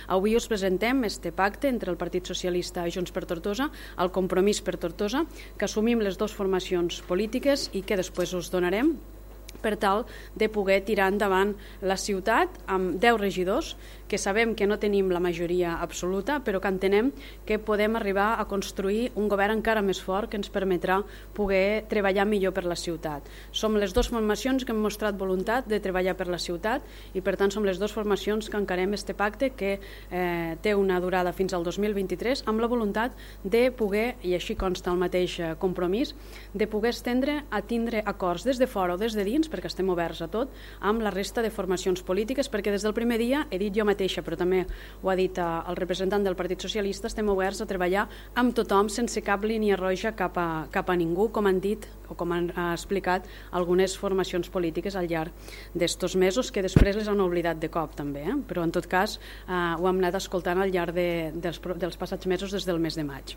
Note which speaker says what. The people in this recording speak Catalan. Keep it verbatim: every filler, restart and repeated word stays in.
Speaker 1: Avui us presentem este pacte entre el Partit Socialista i Junts per Tortosa, el Compromís per Tortosa, que assumim les dues formacions polítiques i que després us donarem per tal de poder tirar endavant la ciutat amb deu regidors, que sabem que no tenim la majoria absoluta, però que entenem que podem arribar a construir un govern encara més fort que ens permetrà poder treballar millor per la ciutat. Som les dues formacions que hem mostrat voluntat de treballar per la ciutat i per tant som les dues formacions que encarem este pacte que eh, té una durada fins al dos mil vint-i-tres amb la voluntat de poder, i així consta el mateix compromís, de poder estendre a tindre acords des de fora o des de dins, perquè estem oberts a tot, amb la resta de formacions polítiques, perquè des del primer dia, he dit jo mateixa, però també ho ha dit el representant del Partit Socialista, estem oberts a treballar amb tothom sense cap línia roja cap a, cap a ningú, com han dit o com han explicat algunes formacions polítiques al llarg d'estos mesos, que després les han oblidat de cop també, eh? Però en tot cas eh, ho hem anat escoltant al llarg de, dels, dels passats mesos des del mes de maig.